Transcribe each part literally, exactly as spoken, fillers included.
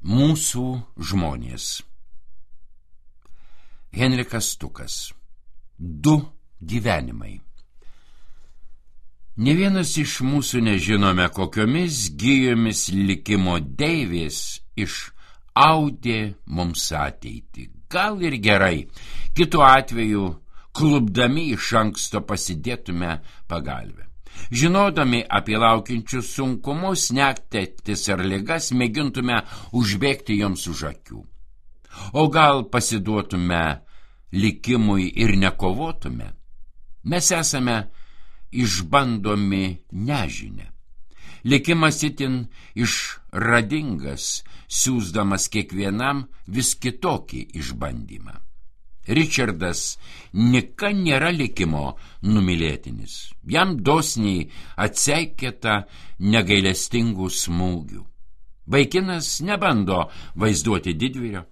Mūsų žmonės. Henrikas Stukas. Du gyvenimai. Ne vienas iš mūsų nežinome, kokiomis gijomis likimo deivės išaudė mums ateitį. Gal ir gerai, kitu atveju klubdami iš anksto pasidėtume pagalvę. Žinodami apie laukiančius sunkumus, netektis ar ligas, mėgintume užbėgti joms už akių. O gal pasiduotume likimui ir nekovotume? Mes esame išbandomi nežinia. Likimas itin išradingas, siųsdamas kiekvienam vis kitokį išbandymą. Ričardas nika nėra likimo numylėtinis. Jam dosniai atseikėta negailestingų smūgių. Vaikinas nebando vaizduoti didvyrio.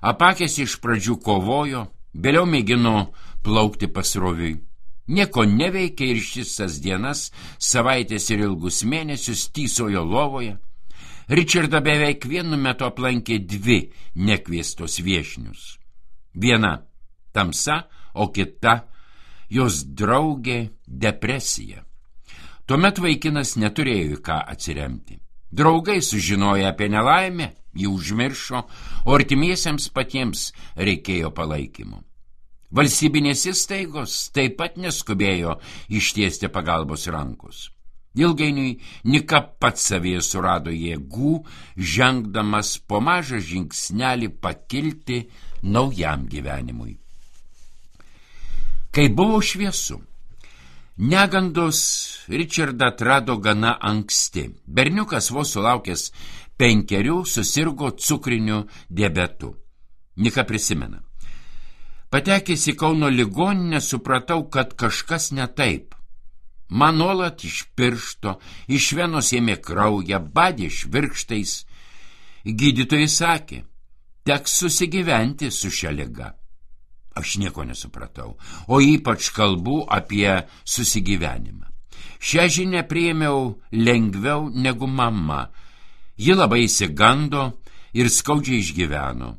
Apakęs iš pradžių kovojo, vėliau mėgino plaukti pasroviui. Nieko neveikė ir šisas dienas, savaitės ir ilgus mėnesius tysojo lovoje. Ričardą beveik vienu metu aplankė dvi nekviestos viešnius. Viena tamsa, o kita jos draugė depresija. Tuomet vaikinas neturėjo į ką atsiremti. Draugai sužinoję apie nelaimę, jį užmiršo, o artimiesiems patiems reikėjo palaikymo. Valstybinės įstaigos taip pat neskubėjo ištiesti pagalbos rankos. Ilgainiui nika pats savyje surado jėgų, žengdamas po mažą žingsnelį pakilti naujam gyvenimui. Kai buvo šviesu, negandos Ričardą atrado gana anksti. Berniukas vos sulaukęs penkerių susirgo cukriniu diabetu. Nika prisimena. Patekęs į Kauno ligoninę supratau, kad kažkas ne taip. Man nuolat iš piršto, iš venos ėmė kraują, badė švirkštais. Gydytojai sakė, teks susigyventi su šia liga. Aš nieko nesupratau, o ypač kalbu apie susigyvenimą. Šią žinią priėmiau lengviau negu mama. Ji labai išsigando ir skaudžiai išgyveno.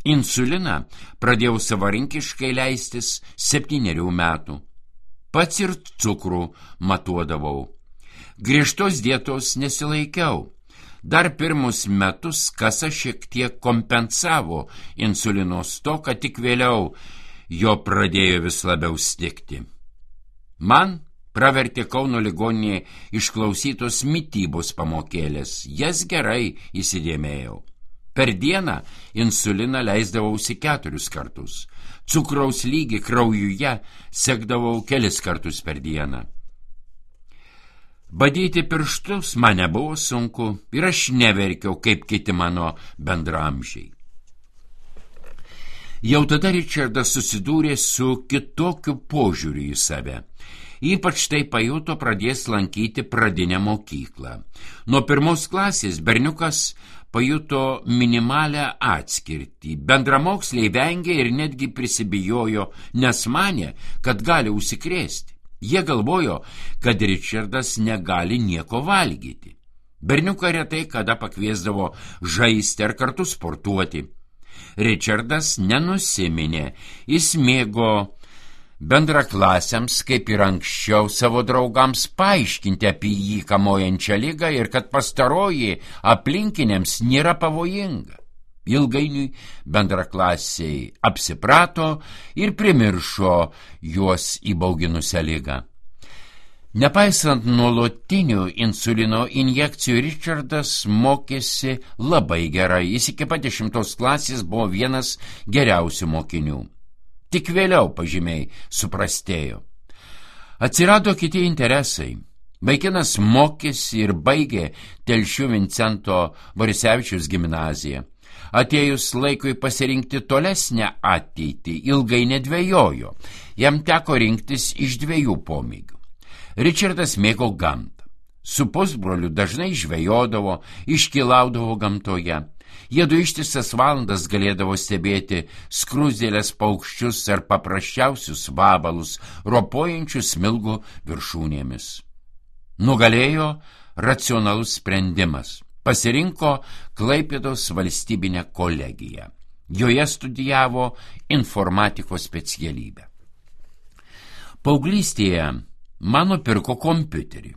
Insuliną pradėjau savarankiškai leistis septynerių metų. Pats ir cukrų matuodavau. Griežtos dietos nesilaikiau. Dar pirmus metus kasa šiek tiek kompensavo insulino stoką, tik vėliau jo pradėjo vis labiau stigti. Man pravertė Kauno ligoninėje išklausytos mitybos pamokėlės. Jas gerai įsidėmėjau. Per dieną insuliną leisdavausi keturis kartus. Cukraus lygį kraujuje sekdavau kelis kartus per dieną. Badyti pirštus man nebuvo sunku ir aš neverkiau kaip kiti mano bendraamžiai. Jau tada Ričardas susidūrė su kitokiu požiūriu į save. Ypač tai pajuto pradės lankyti pradinę mokyklą. Nuo pirmos klasės berniukas pajuto minimalią atskirtį. Bendramoksliai vengė ir netgi prisibijojo, nes manė, kad gali užsikrėsti. Jie galvojo, kad Ričardas negali nieko valgyti. Berniuką retai kada pakviesdavo žaisti ar kartu sportuoti. Ričardas nenusiminė, jis mėgo bendraklasiams, kaip ir anksčiau, savo draugams paaiškinti apie jį kamuojančią ligą ir kad pastaroji aplinkiniams nėra pavojinga. Ilgainiui bendraklasiai apsiprato ir primiršo juos įbauginusią ligą. Nepaisant nuolatinių insulino injekcijų, Ričardas mokėsi labai gerai. Jis iki pat dešimtos klasės buvo vienas geriausių mokinių. Tik vėliau pažymiai suprastėjo. Atsirado kiti interesai. Vaikinas mokėsi ir baigė Telšių Vincento Borisevičiaus gimnaziją. Atėjus laikui pasirinkti tolesnę ateitį, ilgai nedvejojo. Jam teko rinktis iš dviejų pomėgių. Ričardas mėgo gamtą. Su pusbroliu dažnai žvejodavo, iškylaudavo gamtoje. Jiedu ištisas valandas galėdavo stebėti skruzdėlės paukščius ar paprasčiausius vabalus, ropojančius smilgų viršūnėmis. Nugalėjo racionalus sprendimas. Pasirinko Klaipėdos valstybinę kolegiją. Joje studijavo informatikos specialybę. Paauglystėje mano pirko kompiuterį.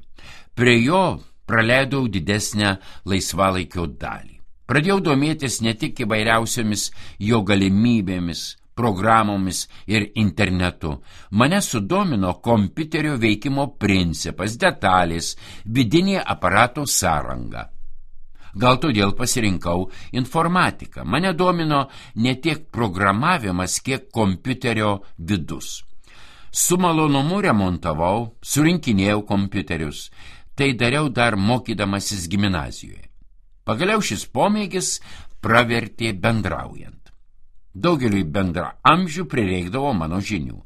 Prie jo praleidau didesnę laisvalaikio dalį. Pradėjau domėtis ne tik įvairiausiomis jo galimybėmis, programomis ir internetu. Mane sudomino kompiuterio veikimo principas, detalės, vidinė aparato sąranga. Gal todėl pasirinkau informatiką. Mane domino ne tiek programavimas, kiek kompiuterio vidus. Su malonumu remontavau, surinkinėjau kompiuterius. Tai dariau dar mokydamasis gimnazijoje. Pagaliau šis pomėgis pravertė bendraujant. Daugeliui bendraamžių prireikdavo mano žinių.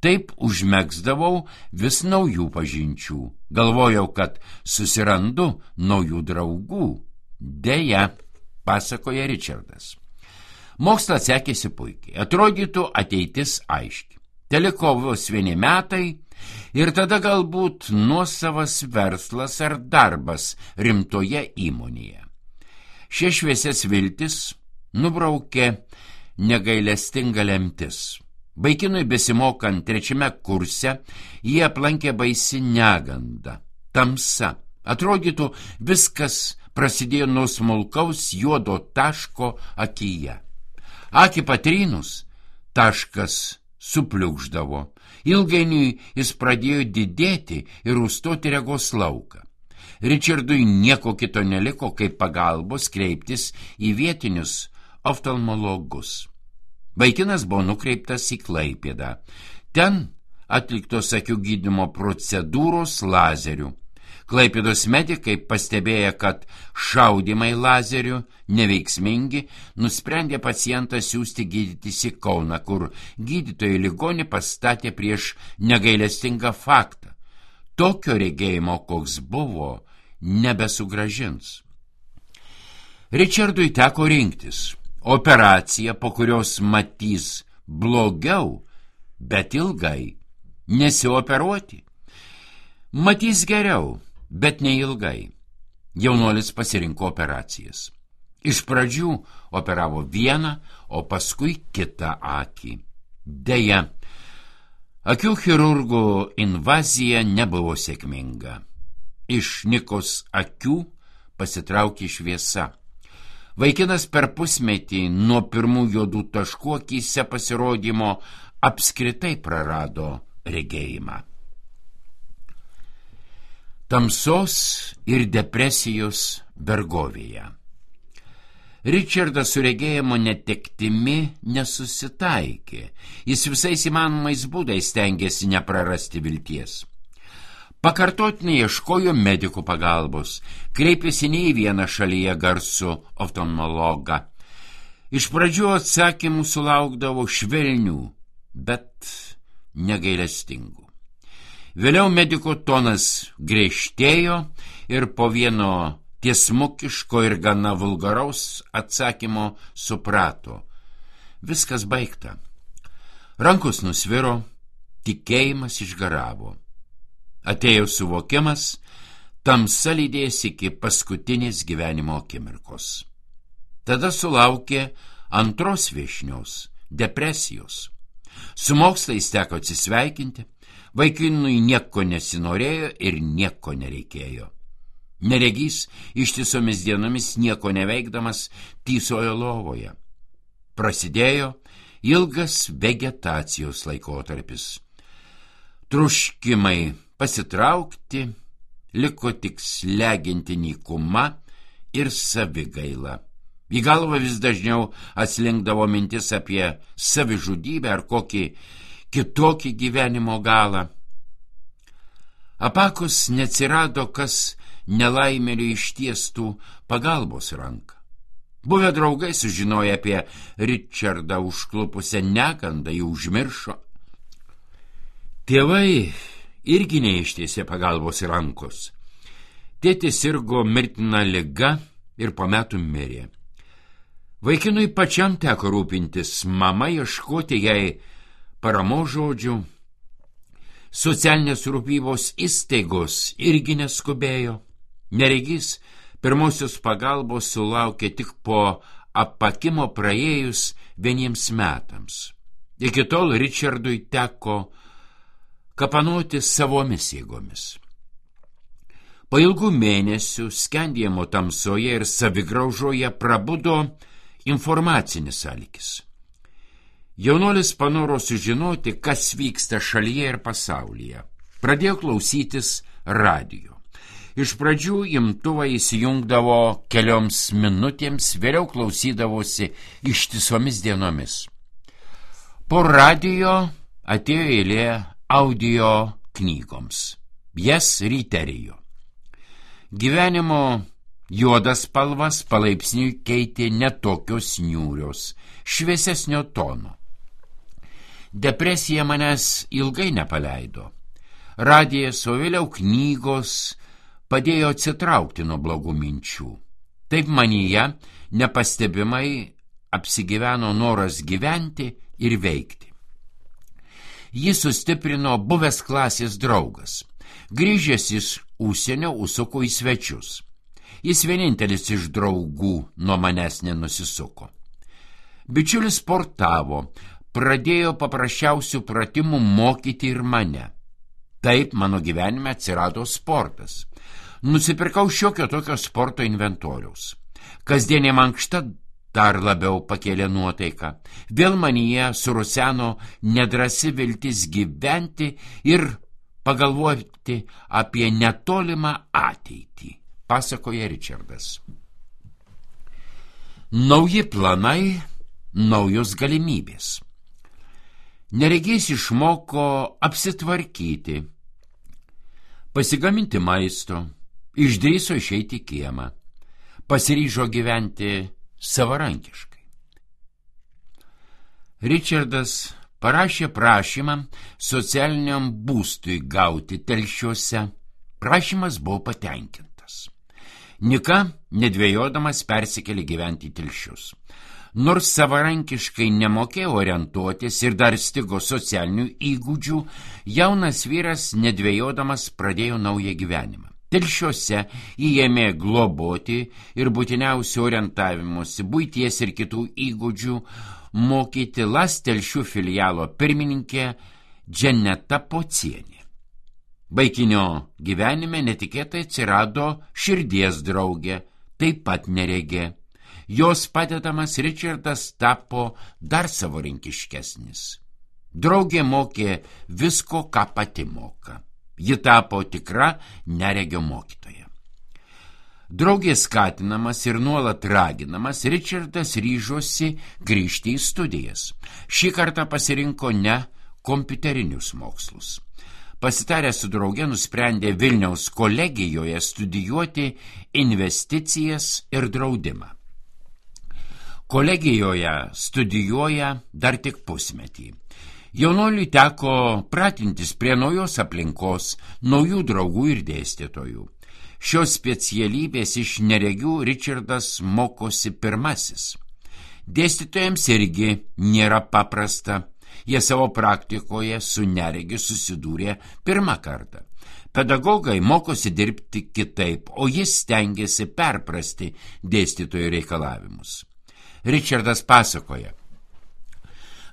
Taip užmegzdavau vis naujų pažinčių. Galvojau, kad susirandu naujų draugų. Deja, pasakoja Ričardas. Mokslas sekėsi puikiai. Atrodytų ateitis aiški. Teliko vos vieni metai ir tada galbūt nuosavas verslas ar darbas rimtoje įmonėje. Šie šviesias viltis nubraukė negailestinga lemtis. Vaikinui besimokant trečiame kurse jį aplankė baisi neganda, tamsa. Atrodytų, viskas prasidėjo nuo smulkaus juodo taško akyje. Akį patrynus, taškas supliūkšdavo. Ilgainiui jis pradėjo didėti ir užstoti regos lauką. Ričardui nieko kito neliko, kaip pagalbos kreiptis į vietinius oftalmologus. Vaikinas buvo nukreiptas į Klaipėdą. Ten atliktos akių gydymo procedūros lazerių. Klaipėdos medikai, pastebėję, kad šaudymai lazerių neveiksmingi, nusprendė pacientą siųsti gydytis į Kauną, kur gydytojai ligonį pastatė prieš negailestingą faktą. Tokio regėjimo, koks buvo, nebesugražins. Ričardui teko rinktis operaciją, po kurios matys blogiau, bet ilgai, nesioperuoti. Matys geriau, bet neilgai. Jaunuolis pasirinko operacijas. Iš pradžių operavo vieną, o paskui kitą akį. Deja, akių chirurgų invazija nebuvo sėkminga. Iš Nikos akių pasitraukė šviesa. Vaikinas per pusmetį nuo pirmų juodų taškų akyse pasirodymo apskritai prarado regėjimą. Tamsos ir depresijos vergovėje. Ričardas su regėjimo netektimi nesusitaikė. Jis visais įmanomais būdais stengėsi neprarasti vilties. Pakartotinai ieškojo medikų pagalbos, kreipėsi ne į vieną šalyje garsų oftalmologą. Iš pradžių atsakymų sulaukdavo švelnių, bet negailestingų. Vėliau mediko tonas griežtėjo ir po vieno tiesmukiško ir gana vulgaraus atsakymo suprato. Viskas baigta. Rankos nusviro, tikėjimas išgaravo. Atėjo suvokimas, tamsa lydės iki paskutinės gyvenimo akimirkos. Tada sulaukė antros viešnios, depresijos. Su mokslais teko atsisveikinti, vaikinui nieko nesinorėjo ir nieko nereikėjo. Neregys ištisomis dienomis nieko neveikdamas tysojo lovoje. Prasidėjo ilgas vegetacijos laikotarpis. Truškimai pasitraukti, liko tik slegianti nykuma ir savigaila. Į galvą vis dažniau atslinkdavo mintis apie savižudybę ar kokį kitokį gyvenimo galą. Apakus neatsirado, kas nelaimėliui ištiestų pagalbos ranką. Buvę draugai sužinoję apie Ričardą užklupusią negandą, jį užmiršo. Tėvai irgi neištiesė pagalbos rankos. Tėtis sirgo mirtina liga ir po metų mirė. Vaikinui pačiam teko rūpintis, mama ieškoti jai paramos žodžių. Socialinės rūpybos įstaigos irgi neskubėjo. Neregys Pirmosios pagalbos sulaukė tik po apakimo praėjus vieniems metams. Iki tol Richardui teko kapanoti savomis jėgomis. Po ilgų mėnesių skendėjimo tamsoje ir savigraužoje prabudo informacinis alkis. Jaunuolis panoro sužinoti, kas vyksta šalyje ir pasaulyje. Pradėjo klausytis radijo. Iš pradžių imtuvą įsijungdavo kelioms minutėms, vėliau klausydavosi ištisomis dienomis. Po radijo atėjo eilė audio knygoms. Jas ryterijo. Gyvenimo juodas spalvas palaipsniui keitė netokios niūrios, šviesesnio tono. Depresija manęs ilgai nepaleido. Radijas, o vėliau knygos padėjo atsitraukti nuo blogų minčių. Taip manyje nepastebimai apsigyveno noras gyventi ir veikti. Jį sustiprino buvęs klasės draugas. Grįžęs iš užsienio užsuko į svečius. Jis vienintelis iš draugų nuo manęs nenusisuko. Bičiulis sportavo, pradėjo paprasčiausių pratimų mokyti ir mane. Taip mano gyvenime atsirado sportas. Nusipirkau šiokio tokio sporto inventoriaus. Kasdienė mankšta dar labiau pakėlė nuotaiką. Vėl manyje suruseno nedrasi viltis gyventi ir pagalvoti apie netolimą ateitį, pasakoja Richardas. Nauji planai, naujos galimybės. Neregys išmoko apsitvarkyti, pasigaminti maisto, išdrįso išeiti į kiemą, pasiryžo gyventi savarankiškai. Richardas parašė prašymą socialiniam būstui gauti Telšiuose. Prašymas buvo patenkintas. Nika, nedvėjodamas, persikėlė gyventi į Telšius. Nors savarankiškai nemokėjo orientuotis ir dar stigo socialinių įgūdžių, jaunas vyras nedvėjodamas pradėjo naują gyvenimą. Telšiuose įėmė globoti ir būtiniausių orientavimuose, buities ir kitų įgūdžių mokyti Las Telšių filialo pirmininkė Dženeta Pocienė. Vaikinio gyvenime netikėtai atsirado širdies draugė, taip pat neregė. Jos padedamas Richardas tapo dar savarankiškesnis. Draugė mokė visko, ką pati moka. Ji tapo tikra neregio mokytoja. Draugės skatinamas ir nuolat raginamas, Richardas ryžosi grįžti į studijas. Šį kartą pasirinko ne kompiuterinius mokslus. Pasitaręs su drauge nusprendė Vilniaus kolegijoje studijuoti investicijas ir draudimą. Kolegijoje studijuoja dar tik pusmetį. Jaunuoliui teko pratintis prie naujos aplinkos, naujų draugų ir dėstytojų. Šios specialybės iš neregių Richardas mokosi pirmasis. Dėstytojams irgi nėra paprasta. Jie savo praktikoje su neregiu susidūrė pirmą kartą. Pedagogai mokosi dirbti kitaip, o jis stengiasi perprasti dėstytojų reikalavimus. Richardas pasakoja: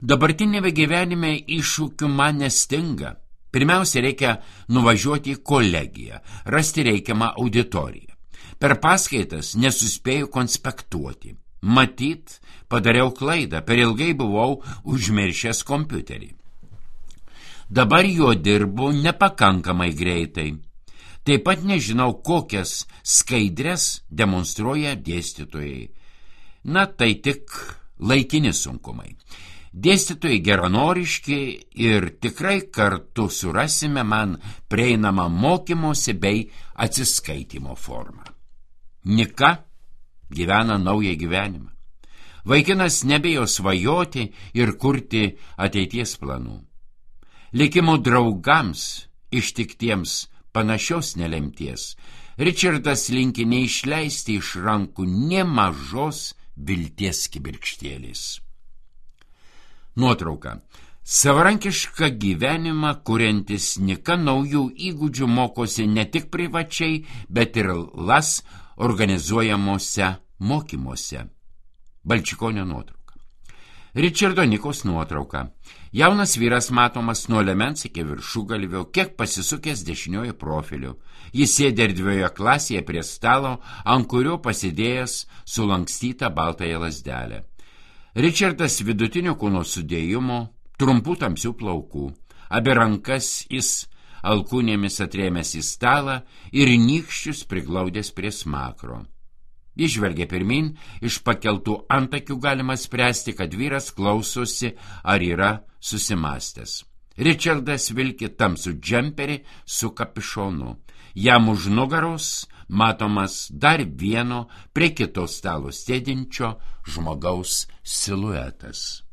dabartinėme gyvenime iššūkių man nestinga. Pirmiausia, reikia nuvažiuoti į kolegiją, rasti reikiamą auditoriją. Per paskaitas nesuspėjau konspektuoti. Matyt, padariau klaidą, per ilgai buvau užmiršęs kompiuterį. Dabar juo dirbu nepakankamai greitai. Taip pat nežinau, kokias skaidres demonstruoja dėstytojai. Na, tai tik laikini sunkumai. Dėstytojai geranoriški ir tikrai kartu surasime man prieinamą mokymosi bei atsiskaitimo formą. Nika gyvena naują gyvenimą. Vaikinas nebijo svajoti ir kurti ateities planų. Likimo draugams ištiktiems panašios nelemties Richardas linki neišleisti iš rankų nė mažos vilties kibirkštėlės. Nuotrauka. Savarankišką gyvenimą kuriantis Nika naujų įgūdžių mokosi ne tik privačiai, bet ir Las organizuojamuose mokymuose. Balčikonio nuotrauka. Ričardo Nikos nuotrauka. Jaunas vyras matomas nuo liemens iki viršugalvio, kiek pasisukęs dešiniuoju profiliu. Jis sėdi erdvioje klasėje prie stalo, ant kurio pasidėjęs sulankstytą baltąją lazdelę. Ričardas vidutinio kūno sudėjimo, trumpų tamsių plaukų. Abi rankas jis alkūnėmis atrėmęs į stalą ir nykščius priglaudęs prie smakro. Jis žvelgia pirmin, iš pakeltų antakių galima spręsti, kad vyras klausosi ar yra susimastęs. Ričardas vilki tamsų džemperį su kapišonu. Jam už nugaros matomas dar vieno prie kito stalo sėdinčio žmogaus siluetas.